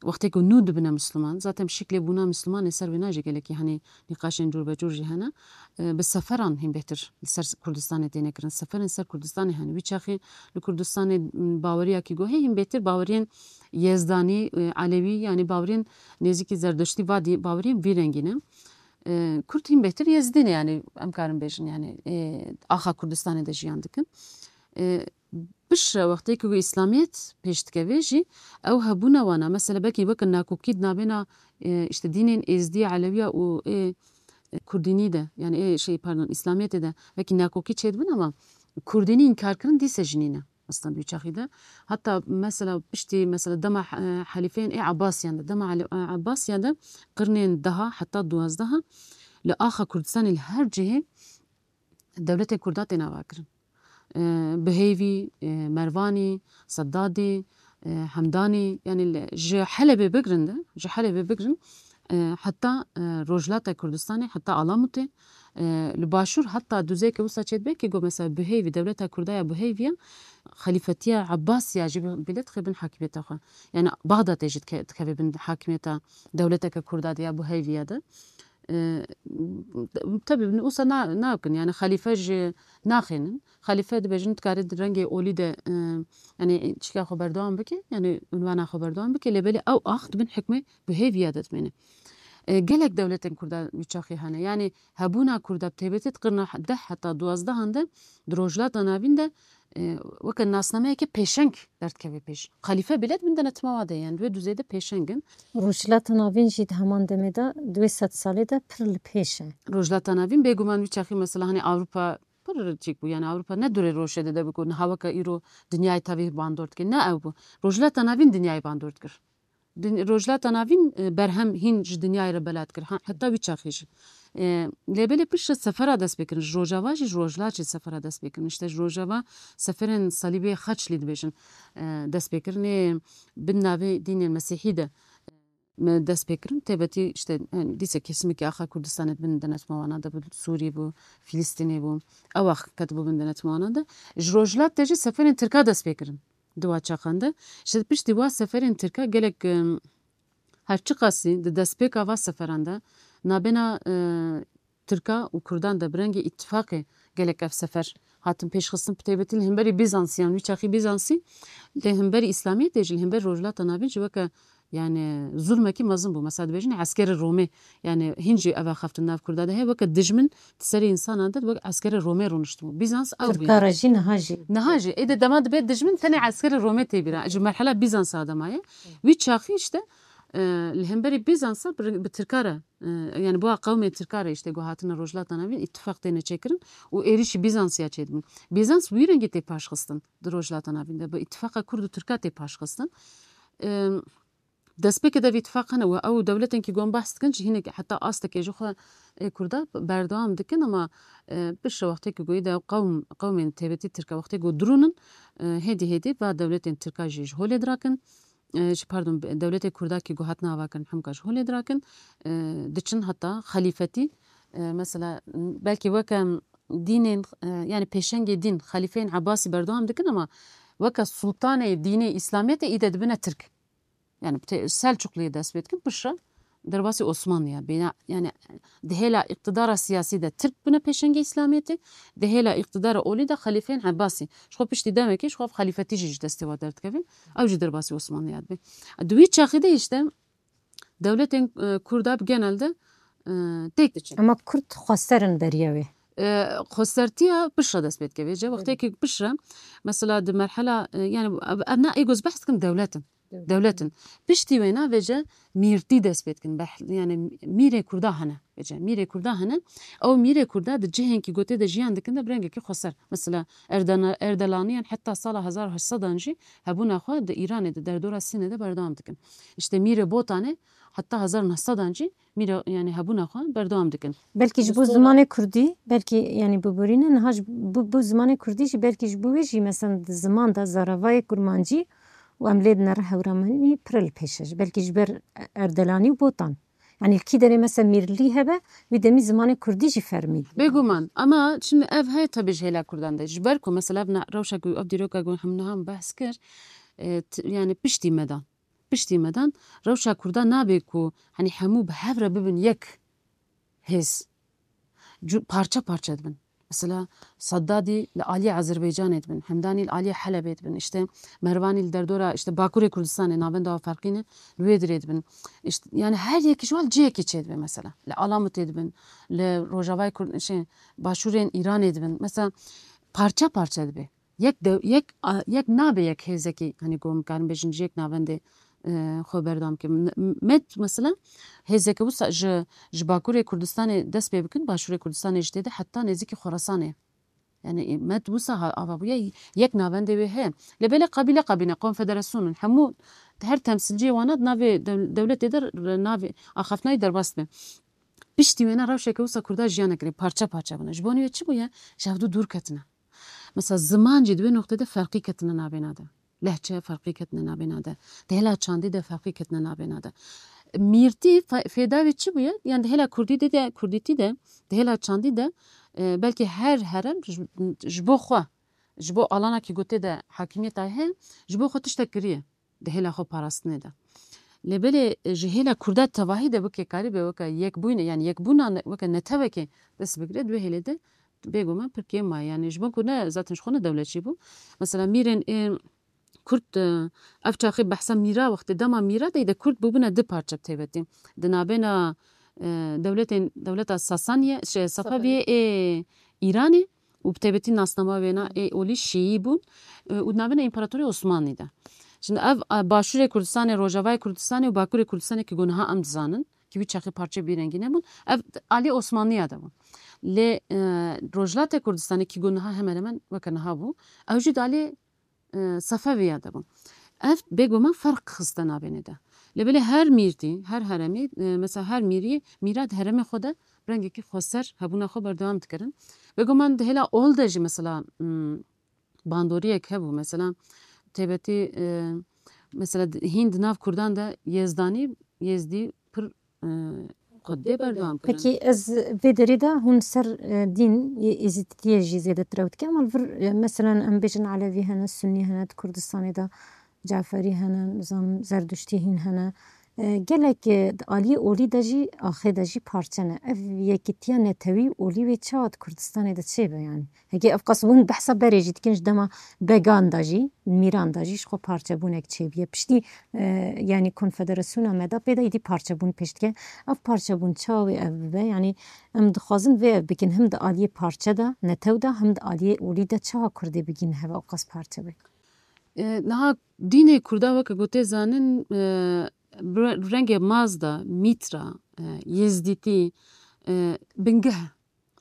wextê ku nû dibine Misliman, zaten şiklê bûna Mislimanê ser wê najê gelekî hani nîqaşên cûr be cûr jî hene. E, bi seferan hîn bêhtir li ser Kurdistanê têne kirin. Seferên ser Kurdistanê hene. Wî çaxê li Kurdistanê, m, baweriya kî go hê hîn bêhtir baweriyên Yezdanî, e, Elewî, yani baweriyên nêzîkî Zerdeştî vadî baweriyên vî rengî ne. E, Kurd hîn bêhtir Yezdî ne, yani em karin bêjin, yani, e, axa Kurdistanê de jiyan dikin. E, piştre wextê ku Îslamiyet pêş dikeve jî, ew hebûna wana, mesela belkî weke nakokî di navbêna, e, işte dînên Êzdî, Elewiya û ê, e, Kurdînî de, yani ê şey, pardon, Îslamiyetê de belkî nakokî çêdibin ama Kurdînî înkarkirin dîse jî nîne. Aslında wî çaxî de. Heta mesela piştî, mesela dema, e, helîfeyên ê Ebasiyan de, dema Elî-, e, Ebasiyan de qirnên deha heta duwazdeha li axa Kurdistanê li her cihê dewletên Kurda tên avakirin. E, Bihêvî, e, Mervanî, Seddadî, e, Hemdanî, yani li, ji Helebê bigirin de, ji Helebê bigirin, e, heta, e, Rojhilata Kurdistanê, heta Alamutê, e, li Başûr heta duzeyeke wisa çêdibe kî go mesela Bihêvî, dewleta Kurda ya Bihêvî ya, xelîfetiya Ebasiya jî bi-, bile dixê bin hakimiyeta xwe. Yani Baxdadê jî dike-, dikeve bin hakimiyeta dewleteke Kurda de ya Bihêvî ya de. E, tabii wisa na-, nakin, yani xalîfe jî naxênin. Xalîfe dibêjin, tu karî di rengê olî de, e, yani çika xwe berdewam bike, yani unvana xwe berdewam bike, lê belê ew ax di bin hikmê bi hêviya de dimêne. E, gelek dewletên Kurda wî çaxî hene. Yani hebûna Kurda bi taybetî di qirna deh heta duwazdehan de di Rojhilata Navîn de, e, weke nasnameyeke pêşeng derdikeve pêş. Xalîfe bile di bin denetima wa de, yani di wê duzê de pêşeng in. Rojhilata Navîn jî di heman demê de, di wê sed salê de pir li pêş e. Rojhilata Navîn bêguman wî çaxî mesela hani Ewropa pir çîk bû. Yani Ewropa ne durê roşê de, de bû ku niha weke îro dinyayê tevî bandor dike. Ne ew bû. Rojhilata Navîn dinyayê bandor dikir. Din-, Rojhilata Navîn, e, berhem hîn ji dinyayê re bela dikir. Ha, heta wî çaxê jî. E, lê belê piştre sefera dest pê kirin. Ji Rojava jî, ji Rojhilat jî sefera dest pê kirin. İşte ji Rojava seferên salîbê Xeçlî dibêjin, e, dest pê kirin. Ê bin navê dînên Mesîhî de, e, me dest pê kirin. Têbetî işte, yani dîse kesimekî axa Kurdistanê di bin denetima wana de bû, Sûrî bû, Filistînê bû. Ew ax ketibû bin denetima wana de. Ji Rojhilat de jî seferên Tirka dest pê kirin. Di wa çaxan de. Ji piştî wa seferên Tirka gelek, em, her çiqasî di destpêka va seferan de nabêna, e, Tirka û Kurdan de bi rengê îtifaqê gelek ev sefer hatin pêşxistin, bi taybetî li hemberî Bîzansiyan, wî çaxî Bîzansî, li hemberî Îslamiyetê jî, li hemberî Rojhilata Navîn jî weke, yani, zulmekî mezin bû. Mesela dibêjin eskerê Romê, yani, hîn jî ev axaftin nav Kurda de heye, weke dijmin di serê însanan de wek eskerê Romê rûniştibû. Bîzans ew bû. Tirka re jî niha jî. Niha jî. Ê de dema dibe dijmin tenê eskerê Romê tê bîra. Ji merhela Bîzansa de maye. Wî çaxî işte, e, li hemberî Bîzansa bi, bi Tirka re, e, yani bo qewmê Tirka re işte ku hatine Rojhilata Navîn îtifaq têne çêkirin û êrîşî Bîzansiya çêdibin. Bîzans wî rengî tê paşxistin di Rojhilata Navîn de. Bi îtifaqa Kurd û Tirka tê paşxistin. E, Destpêkê de vî tifaq hene û ew dewletên ki gon behs dikin jî hinek heta astekê ji xwe ê Kurda berdewam dikin, ama, e, piştre wextê ku goyî de qewm, qewmên têbetî Tirka wextê ku dirûnin, e, hêdî hêdî va dewletên Tirka jî ji holê dirakin. E, ji, pardon, dewletê Kurda ki ku hatin avakirin hemka ji holê dirakin, e, diçin heta xelîfetî, e, mesela, belkî weke dînên, e, yani pêşengê dîn, xelîfeyên Ebasî berdewam dikin, ama weke sultanê dînê Îslamiyetê î de dibine Tirk. Yani te-, Selçukliyê dest pê dikin, piştre derbasî Osmanliya bîne. Yani di hêla îqtidara siyasî de Tirk bine pêşengê Îslamiyetê, di hêla îqtidara olî de xelîfeyên Ebasî. Ji xwe piştî demekê ji xwe xelîfetî jî ji destê wa derdikevin. Ew jî derbasî Osmanliya dibe. Di wî çaxê de işte dewletên, e, Kurda bi genel de, e, têk diçin. Ama Kurd xwester in beriya wê. E, xwestertiya piştre dest pê dikeve. Ji wextê ki piştre, mesela di merhela, e, yani ev, ev ne ê ku ez behs dikim dewlet in. Dewlet in. Piştî wêna vêce mîrtî dest pê dikin. Beh-, yani mîrê Kurda hene. Vêce mîrê Kurda hene. Ew mîrê Kurda di cihên ki gotê de jiyan dikin de bi rengekî xweser. Mesela Erdena-, Erdelaniyan heta sala hezar û heşt sedan jî hebûna xwe di Îranê de, derdora Sînê de berdewam dikin. İşte mîrê Botanê heta hezar û neh sedan jî mîra, yani hebûna xwe berdewam dikin. Belkî ji bo zimanê kurdî, belkî, yani, biborîne, niha ji bo, bo zimanê kurdî jî, belkî ji bo wê jî, mesela, di ziman de zaravayê kurmancî û em lê dinere hewramanî pir li pêş e. Belkî ji ber Erdelanî û Botan. Yani, li kî derê, mesela, mîrlî hebe, wî demî zimanê kurdî jî fermî. Bêguman. Ama şimdi ev heye tabii ji hêla kurdan de. Ji ber ku, mesela, ev na-, rewşa ku ev dîroka ku hemû niha em behs kir, e, t-, yani, piştî me de. Piştî me dan, rewşa Kurda nabe ku, hani, hemû bi hev re bibin yek hêz. Cu-, parçe parçe dibin. Mesela, Seddadî li aliyê Azerbaycanê dibin, Hemdanî li aliyê Helebê dibin, işte, Mervanî li derdora, işte, Bakurê Kurdistanê, navenda ferqî ne, li wê dirê dibin. İşte, yani, her yekî ji wan cihekî çêdibe, mesela. Li Alamutê dibin, li Rojavayê Kurd-, şey, Başûrên Îranê dibin. Mesela, parçe parçe dibe. Yek dew-, yek, a, yek nabe yek hêzekî, hani, ku em karin bêjin ji yek navendê, e, xwe berdewam kirin. N-, met, mesela, hêzeke wisa ji, ji Bakurê Kurdistanê dest pê bikin, Başûrê Kurdistanê jî tê de heta nêzîkî Xorasanê. Yani, e, met wisa ha-, ava bûye, yek navendê wê heye. Lê belê qabîle qabîne, konfederasyon in. Hemû her temsilciyê wana di navê dew-, dewletê de re-, navê axaftinayî derbas dibe. Piştî wêne rewşeke wisa Kurda jiyan nekirî, parçe parçe bûne. Ji bo wê çi bûye? Ji hevdû dûr ketine. Mesela ziman jî di wê noqtê de ferqî ketine navêna de. Lehçe ferqî ketine navêna de. Di hêla çandî de ferqî ketine navêna de. Mîrtî fe-, fêda wê çi bûye? Yani di hêla kurdî de, de, kurdîtî de, di hêla çandî de, e, belkî her herem ji, ji bo xwe, ji bo alana ki gotê de hakimiyeta heye, ji bo xwe tiştek kiriye. Di hêla xwe parastinê de. Lê belê ji hêla Kurda tevahî de weke karîbe, weke yekbûyne, yani yekbûna ne-, weke netewekê dest bigire, di wê hêlê de bêguman pir kêm maye. Yani ji bo ku ne, zaten ji xwe ne dewletçî bû. Mesela mîrên ê Kurd, e, ev çaxê behsa mîra wextê dema mîra de, de Kurd bûbûne du parçe bi taybetî. Di navbêna, e, dewletên, dewleta Sasaniye, şey, Safeviyê ê Îranê û bi taybetî nasnama wêna ê olî Şîî bûn, e, û di navbêna Împaratorê Osmanlî de. Şimdi ev, e, başûrê Kurdistanê, rojavayê Kurdistanê û bakurê Kurdistanê ki ku niha em dizanin, ki wî çaxê parçe bîrengî nebûn, ev alî Osmanliya de bûn. Lê, e, Rojhilatê Kurdistanê ki ku niha hemen hemen weke niha bû, ew jî di alî, e, Sefeviya de bûn. Ev bêguman ferq xiste navênê de. Lê belê her mîrtî, her heremî, e, mesela her mîrî, mîra di heremê xwe de bi rengekî xweser hebûna xwe berdewam dikirin. Bêguman di hêla ol de jî mesela, m, bandoriyek hebû. Mesela, taybetî, e, mesela di-, hîn di nav Kurdan de Yezdanî, Yezdî pir, e, xwedê berdewam kirin. Pekî ez vê derê de hûn ser, e, dîn yê Êzîdîtiyê jî zêdetir ew dike. Ama li vir, e, mesela em bêjin Elewî hene, Sunnî hene, di Kurdistanê de Caferî hene, nizam Zerduştî hîn hene. E, gelek, e, di aliyê olî de jî, axê de jî parçe ne. Ev yekîtiya netewî olî wê çawa di Kurdistanê de çêbe yani? Heke ev qas hûn behsa berê jî dikin, ji dema Began de jî, Mîran de jî ji xwe parçebûnek çêbûye. Piştî, e, yanî Konfederasyona me de pê de êdî parçebûn pêş dike. Ev parçebûn çawa wê ev bibe? Yanî em dixwazin vê ev bikin, him di aliyê parçe de, netew de, him di aliyê olî de çawa Kurdê bigîn heve ew qas parçe be? E, niha dînê Kurda weke ku tê zanin, e, bi re-, rengê Mazda, Mîtra, e, Yezdîtî, e, bingeh e.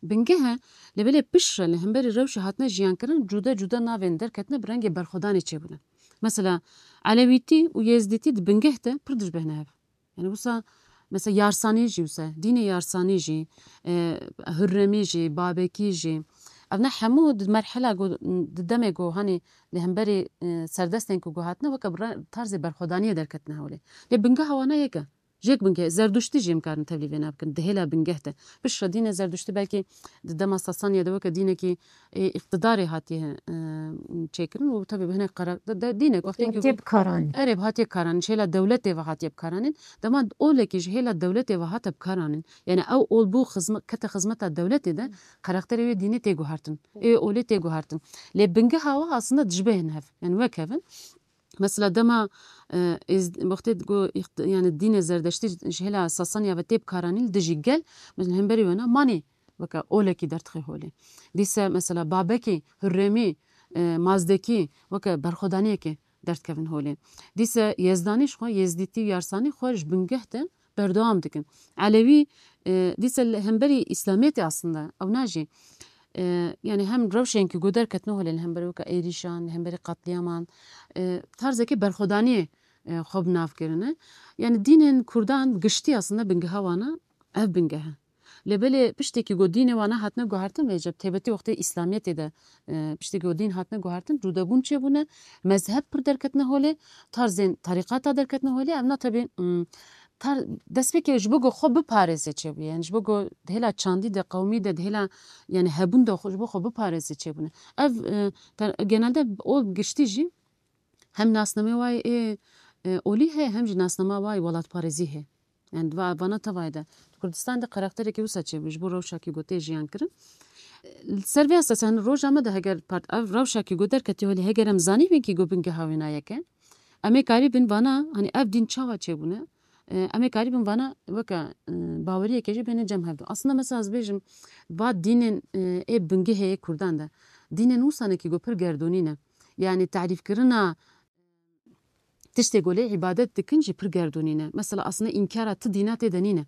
Bingeh e, lê belê piştre li hemberî rewşê hatine jiyankirin, cuda cuda navên derketine bi rengê berxwedanê çêbûne. Mesela, Elewîtî û Yezdîtî di bingeh de pir dişbehne hev. Yani wisa, mesela Yarsanî jî wisa, dînê Yarsanî jî, e, Hurremî jî, Babekî jî. Ev ne hemû di merhela ku, di demê ku hanê li hemberî, e, serdestên ku guhatine weke bi re-, tarzê berxwedaniyê derketine hewlê. Lê bingeha wana yek e. Ji yek bingeh, Zerduştî jî em karin tevlî vê nabikin, di hêla bingeh de. Piştre dîne Zerduştî belkî di dema Sasaniya de weke dînekî, e, îqtidarê hatiye, e, çêkirin û tabi bi hinek qara-, de, de, dînek wextê ku Hatiye bikaranîn. Erê, bi hatiye karanîn, ji hêla dewletê ve hatiye bikaranîn. Dema olekî ji hêla dewletê ve hate bikaranîn. Yani ew ol bû xizme-, kete xizmeta dewletê de karakterê wê dînê tê guhertin. Ê olê tê guhertin. Lê bingeha we aslında dijbehên hev. Yani wek hev in. Mesela dema, e, êz-, wextê ku îxt-, yani dînê Zerdeştî ji hêla Sasaniya ve tê bikaranîn, li dijî gel, mesela hemberî wena manî weke olekî dertixê holê. Dîse mesela Babekî, Hurremî, e, Mazdekî weke berxwedaniyekê dertkevin holê. Dîse Yezdanî ji xwe, Yezdîtî û Yarsanî xwe ji bingeh de berdewam dikin. Elewî, e, dîse li hemberî Îslamiyetê aslında ewna jî, e, yani hem rewşên ku derketine holê li hemberî weke êrîşan, li hemberî qetlîyaman, e, tarzekê berxwedaniyê, e, xwe bi nav kirine. Yani dînên Kurdan giştî aslında bingeha wana ev bingeh e. Lê belê piştê ku dînê wana hatine guhertin vêce, bi taybetî wextê Îslamiyetê de, e, piştê ku dîn hatine guhertin, cûdebûn çêbûne, mezheb pir derketine holê, tarzên terîqata derketine holê, evna tabi, m, tar-, destpêkê ji bo ku xwe biparêze çêbûye, yani ji bo ku di hêla çandî de, qewmî de, di hêla, yani hebûn de xwe, ji bo xwe biparêze çêbûne. Ev, e, te-, genelde o giştî jî hem nasnamê wayê ê, e, olî heye, hem jî nasnama wayê welatparêzî heye. Yani va-, vana tevayê de. Di Kurdistanê de karakterekî wisa çêbû, ji bo rewşa ki ku tê jiyan kirin. Li ser vê esasê, hani roja me de heger part-, ev rewşa ki ku derketî holê, heger em zanîbin ki ku bingeha wêna yek e, em ê karîbin vana, hani ev dîn çawa çêbûne, e, em ê karîbin vana weke, e, baweriyeke jî bêne cem hevdu. Aslında mesela ez bêjim, va dînên, e, ê bingehê yê Kurdan de, dînên wisa ne ki ku pir gerdûnî ne. Yani tarîfkirina tiştê ku lê îbadet dikin jî pir gerdûnî ne. Mesela aslında înkara ti dîna tê de nîne.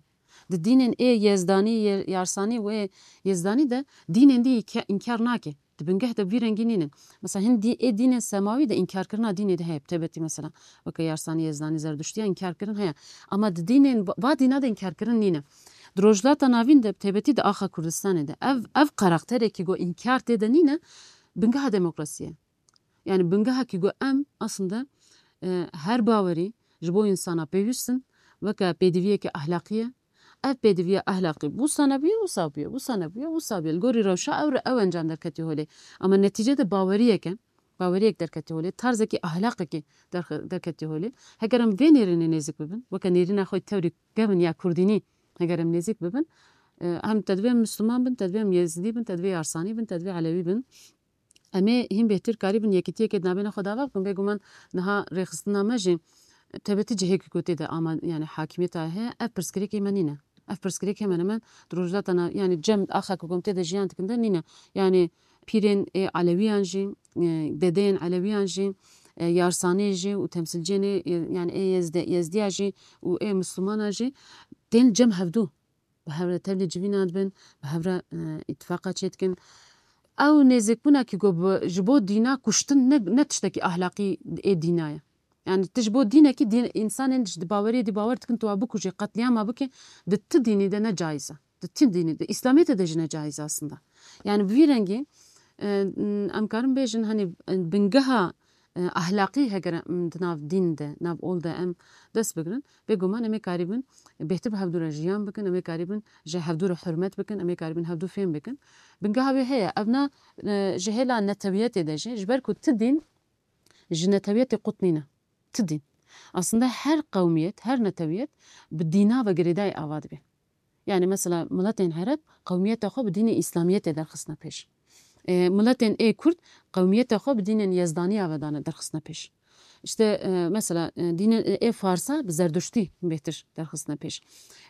Di dînên ê Yezdanî, Ye-, Yarsanî û ê Yezdanî de dînên dî îke-, înkar nake. Di bingeh de vî rengî nînin. Mesela hin dî-, ê dînên semawî de înkarkirina dînê de heye. Tebetî mesela. Weke Yarsanî, Yezdanî, Zerduştiya înkarkirin heye. Ama di dînên va-, va dîna de înkarkirin nîne. Di Rojhilata Navîn de, tebetî di axa Kurdistanê de. Ev, ev karakterekî ku înkar tê de nîne, bingeha demokrasiyê. Yani bingehekî ku em aslında, e, her bawerî ji bo însana pêwîst in, weke pêdiviyeke ahlaqî ye. Ev pêdiviya ahlaqî wisa nebûye, wisa bûye, wisa nebûye, wisa bûye. Li gorî rewşa ew re ew encam derketiye holê. Ama netîce de baweriyeke, baweriyek derketî holê, tarzekî ahlaqekî derxe-, derketî holê. Heger em vê nêrînê nêzîk bibin, weke nêrîna xwe tewrî kevin ya kurdînî, heger em nêzîk bibin, e, hem te divê em Misliman bin, te divê em Yezidî bin, te divê Yarsanî bin, te divê Elewî bin. Em ê hîn bêhtir karîbin yekîtiyekê di navbêna xwe de ava bikin. Bêguman niha rêxistina me jî tebetî cihekî ku tê de ama, yani hakimiyeta heye, ev pirsgirêkê me nîne. Ev pirsgirêk hemen hemen di Rojhilata Nav-, yani cem axa ku em tê de jiyan dikin de nîne. Yani pîrên ê Elewiyan jî, e, dedeyên Elewiyan jî, e, Yarsanê jî û temsilciyên ê, e, yani ê Yezde-, Yezdiya jî û ê Mislimana jî tên cem hevdû. Bi hev re tevlî civîna dibin, bi hev re, e, îtifaqa çêdikin. Ew nêzîkbûna ku bi, ji bo dîna kuştin ne, ne tiştekî ahlaqî ê dîna ye. Yani tu ji bo dînekî dîn, însanên ji di baweriyê dî bawer dikin tu wa bikujî, qetlîama bikî, di ti dînî de ne caiz e. Di ti dînî de, Îslamiyetê de jî ne caiz e aslında. Yani bi vî rengî, e, em karin bêjin, hani, e, bingeha, e, ahlaqî heger em di nav dîn de, nav ol de em dest bigirin, bêguman em ê karîbin bêhtir bi hevdû re jiyan bikin, em ê karîbin ji hevdû re hurmet bikin, em ê karîbin hevdû fêm bikin. Bingeha wê heye. Ev na, e, ji hêla netewiyetê de jî, ji ber ku ti dîn ji netewiyetê qut nîne. Ti dîn. Aslında her qewmiyet, her netewiyet bi dîna ve girêdayî ava dibe. Yani mesela miletên Ereb qewmiyeta xwe bi dînê Îslamiyetê derxistine pêş. E, miletên ê Kurd qewmiyeta xwe bi dînên Yezdaniya ve dane derxistine pêş. İşte, e, mesela, e, dînên, e, ê Farsa bi Zerduştî bêhtir derxistine pêş.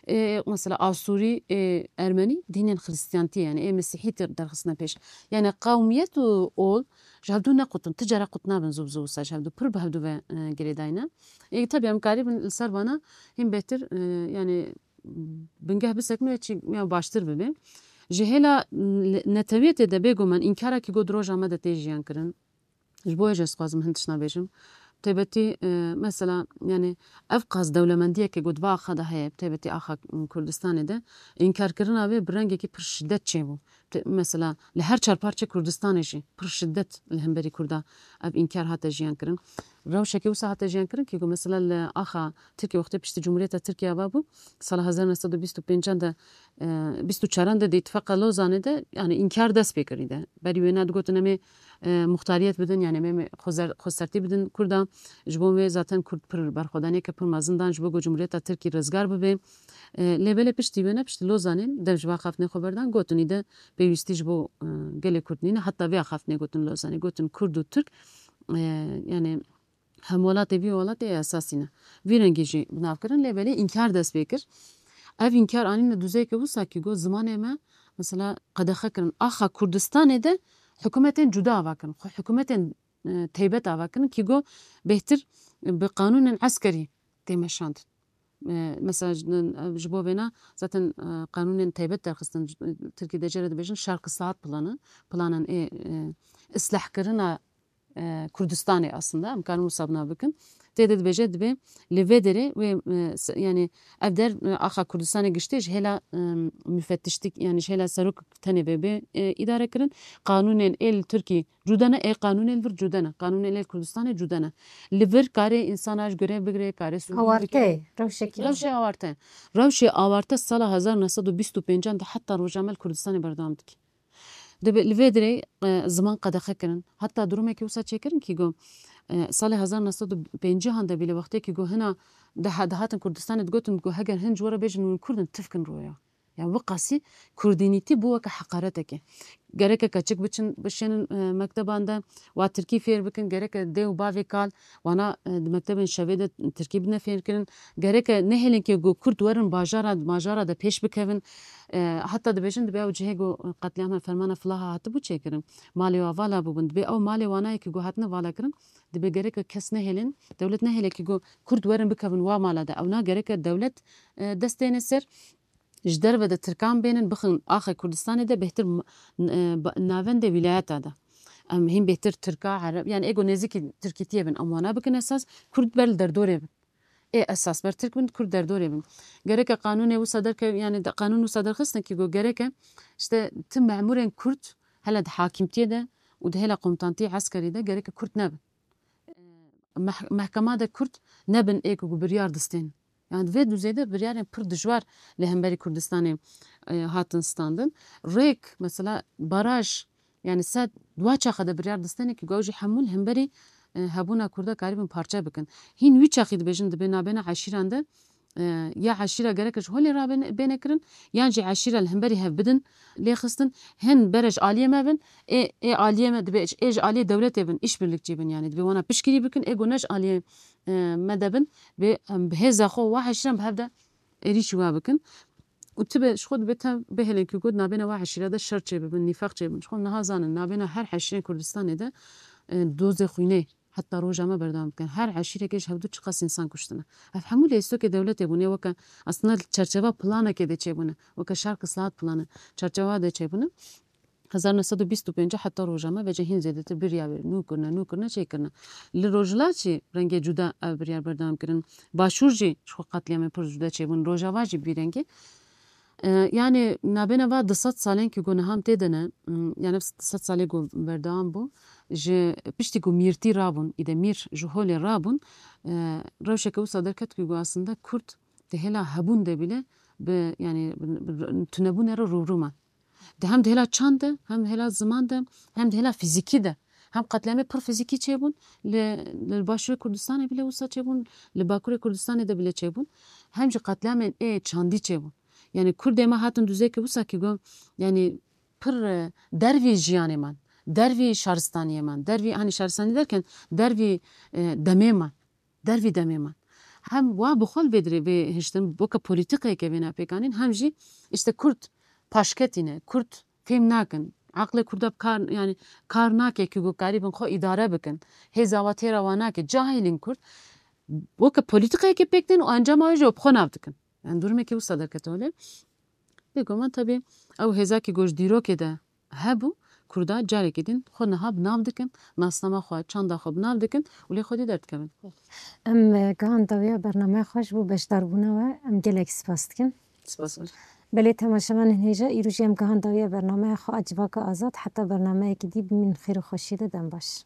E, mesela Asûrî, e, Ermenî dînên Xristiyantî, yani ê Mesîhî tir derxistine pêş. Yani qewmiyet û ol ji hevdû ne qut in, ti cara qut nabin zû bi zû wisa ji hevdû pir bi hevdû ve, e, girêdayî ne. Ê, tabii em karîbin li ser vana hîn bêhtir, e, yani bingeh bisekin wê çi ya baştir bibe. Ji hêla, m, netewiyetê de bêguman înkarekî got roja me de tê jiyan kirin. Ji bo wê jî ez dixwazim hin tiştna bêjim. Taybetî, e, mesela, yani ev qas dewlemendiyeke got va axa de heye, taybetî axa, m, Kurdistanê de înkarkirina wê bi rengekî pir şiddet çêbû. Te-, mesela li her çar parçe Kurdistanê jî pir şiddet li hemberî Kurda ev înkar hate jiyan kirin. Rewşekê wisa hate jiyan kirin ki ku mesela li axa Tirkiye wextê piştî Cumhuriyeta Tirkiye ava bû, sala hezar neh sed û bîst û pêncan de, e, bîst û çaran de di Îtifaqa Lozanê de, yani înkar dest pê kirî de. Berî wêna digotin em ê, e, muxtariyet bidin, yani em ê xwezer-, xwesertî bidin Kurda. Ji bo wê zaten Kurd pir berxwedaniyeke pir mezin dan ji bo ku Cumhuriyeta Tirkî rizgar bibe. E, lê belê piştî wêne, piştî Lozanê dev ji va xaftinê xwe berdan, gotin îde pêwîstî ji bo, e, gelê Kurd nîne. Heta vê axaftinê gotin Lozanê. Gotin Kurd û Tirk, e, yani hemwelatê vî welatê esasî ne. Vî rengî jî bi nav kirin, lê belê înkar dest pê kir. Ev înkar anîne duzeyeke wisa ki got zimanê me, mesela qedexe kirin. Axa Kurdistanê de hikûmetên cuda ava kirin. Xwe hikûmetên, e, teybet ava kirin ki got bêhtir bi qanûnên eskerî tê meşandin. E, mesela ji, ji bo vêna zaten, e, qanûnên taybet derxistin. Tirkî de jê re dibêjin şerq ıslahat planı, planên ê, e, islahkirina, e, Kurdistanê aslında, em karin wisa bi nav bikin. Tê de dibêje dibê li vê derê wê, e, se-, yani ev der, e, axa Kurdistanê giştî ji hêla, e, müfettişlik, yani ji hêla serok tenê vê bê, e, îdare kirin. Qanûnên ê li Tirkî cuda ne, ê qanûnê li vir cuda ne. Qanûnê li Kurdistanê cuda ne. Li vir karê însana ji grev bigire, karê sûcûn bigire. Awarte, rewşekî. Rewşê awarte. Rewşê awarte sala hezar neh sed û bîst û pêncan de heta roja me li Kurdistanê berdewam dike. Dibe, li vê dirê, e, ziman qedexe kirin. Heta durumekî wisa çêkirin ki got, e, salê hezar neh sed û pêncî han de bî li wextê ki got hina diha-, dihatin Kurdistanê digotin, got heger hin ji we re bêjin hûn Kurd in, tifkin roya. Ya wiqasî kurdînîtî bû weke heqareteke. Gereke keçik biçin, bişênin, e, mekteban de, wa tirkî fêr bikin, gereke dê û bavê kal, wana, e, di mektebên şevê de tirkî bidine fêrkirin. Gereke nehêlin ke ku kurd werin bajara, majara de pêş bikevin. E, heta dibêjin, dibe ew cihê ku qetlîama fermana Filaha hatibû çêkirin, malê wa vala bûbin. Dibe ew malê wana ye ke ku hatine vala kirin, dibe gereke kes nehêlin, dewlet nehêle ke ku kurd werin bikevin wa mala de. Ewna gereke dewlet, e, dest têne ser. Ji derve de tirkan bênin bixin axê Kurdistanê de bêhtir m-, n-, e, ba-, navendê wîlayeta de. Em hîn bêhtir tirka, ereb, yani ê ku nêzîkî tirkîtiyê bin, em wana bikin esas, kurd ber li derdorê bin. Ê esas ber tirk bin, kurd derdorê bin. Gereke qanûnê wisa derke, yani de, qanûn wisa derxistin ki got gereke işte ti memurên kurd hele di hakimtiyê de û di hêla komutantiyê eskerî de gereke kurd nebin. Meh-, mehkema de kurd nebin ê ku biryar distên. Yani vê duzê de biryarên pir dijwar li hemberî Kurdistanê, e, hatin standin. Rêk, mesela baraj, Yani se di wa çaxa de biryar distêne ku ew jî hemû li hemberî, e, hebûna Kurda karîbin parçe bikin. Hîn wî çaxî dibêjin, dibê nabêna eşîran de, e, ya eşîra gerek ji holê rabêne, bêne kirin, yan jî eşîra li hemberî hev bidin, lê xistin, hin bere ji aliyê me bin, ê, ê aliyê me dibê, ê ji aliyê dewletê bin, îşbirlikçî bin, yani dibê wana piştgirî bikin, ê ku ne ji aliyê, e, me de bin, bê, em, bi hêza xwe wa eşîran bi hev de êrîşî wa bikin. Û tibe ji xwe dibe tev bihêlin ku got nabêne wa eşîra de şer çêbibin, nîfaq çêbibin. Ji xwe niha zanin nabêne her eşîrên Kurdistanê de, e, dozê xwînê heta roja me berdewam dikin. Her eşîrekê ji hevdu çiqas însan kuştine. Ev hemû lê stokê dewletê bûne weke aslında çerçeva planekê de çêbûne. Weke şerq islahat planı çerçeva de çêbûne. Hezar neh sed û bîst û pênc heta roja me vêca hîn zêdetir birya wê nû kirine, nû kirine, çê kirine. Li Rojhilat jî rengê cuda ev biryar berdewam kirin. Başûr jî ji xwe qetlîamên pir cuda çêbûn. Rojava jî bi vî rengê. E, yani nabêne va du sed salên ku got niha em tê de ne, m, yani ev du sed salê ku berdewam bû, ji piştî ku mîrtî rabûn, îde mîr ji holê rabûn, e, rewşeke wisa derket ku got aslında Kurd di hêla hebûn de bile bi, yani bi, bi tunebûnê re rûbirû man. Di hem di hêla çand de, hem di hêla ziman de, hem di hêla fîzîkî de. Hem qetlîamê pir fîzîkî çêbûn li, li Başûrê Kurdistanê bile wisa çêbûn, li Bakurê Kurdistanê de bile çêbûn. Hem jî qetlîamên ê çandî çêbûn. Yani Kurdê me hatin duzeyeke wisa ku got, yani pir, e, dervî jiyanê man, dervî şaristaniyê man, dervî, hani şaristanî derken dervî, e, demê man. Dervî demê man. Hem wa bi xwe li vê dirê vê hiştin, weke polîtîkayeke vê napêkanîn, hem jî işte Kurd paşketî ne, Kurd fêm nakin, aqlê Kurda bi kar, yani kar nake ku got karîbin xwe îdare bikin, hêza wa têra wa nake, cahilîn Kurd, weke polîtîkayeke pêk tên û encama wê jî bi xwe nav dikin. Yani durumekî wisa derkete holê. Bêguman tabii ew hêza ku got ji dîrokê de hebû, Kurda carekî din xwe niha bi nav dikin, nasnama xwe, çanda xwe bi nav dikin û lê xwedî derdikevin. Em, e, gihan dawiya bernameya xwe ji bo beşdarbûna we em gelek spas dikin. Spas. Belê temaşevanên hêja, îro jî em gihan dawiya bernameya xwe a Civaka Azad, heta bernameyekî dî bimînin xêr û xweşiyê de, dem baş.